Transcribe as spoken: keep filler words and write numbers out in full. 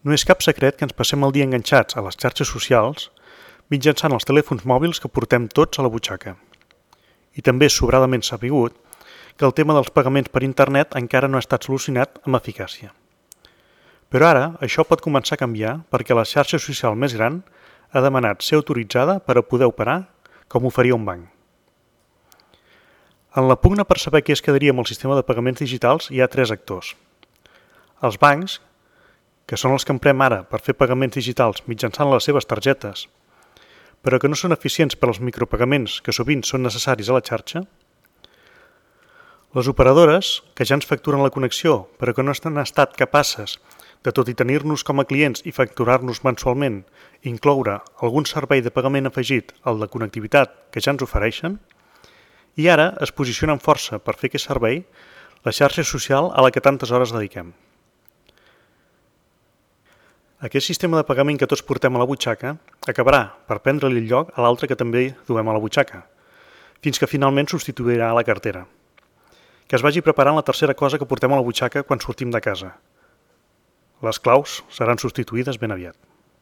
No és cap secret que ens passem el dia enganxats a les xarxes socials mitjançant els telèfons mòbils que portem tots a la butxaca. I també és sobradament sabut que el tema dels pagaments per internet encara no ha estat solucionat amb eficàcia. Però ara això pot començar a canviar perquè la xarxa social més gran ha demanat ser autoritzada per a poder operar com ho faria un banc. En la pugna per saber què es quedaria amb el sistema de pagaments digitals hi ha tres actors. Els bancs, que són els que emprem ara per fer pagaments digitals mitjançant les seves targetes, però que no són eficients per als micropagaments que sovint són necessaris a la xarxa. Les operadores, que ja ens facturen la connexió, però que no han estat capaces de, tot i tenir-nos com a clients i facturar-nos mensualment, incloure algun servei de pagament afegit al de connectivitat que ja ens ofereixen, i ara es posicionen força per fer aquest servei la xarxa social a la que tantes hores dediquem. Aquest sistema de pagament que tots portem a la butxaca acabarà per prendre-li el lloc a l'altre que també duem a la butxaca, fins que finalment substituirà la cartera. Que es vagi preparant la tercera cosa que portem a la butxaca quan sortim de casa. Les claus seran substituïdes ben aviat.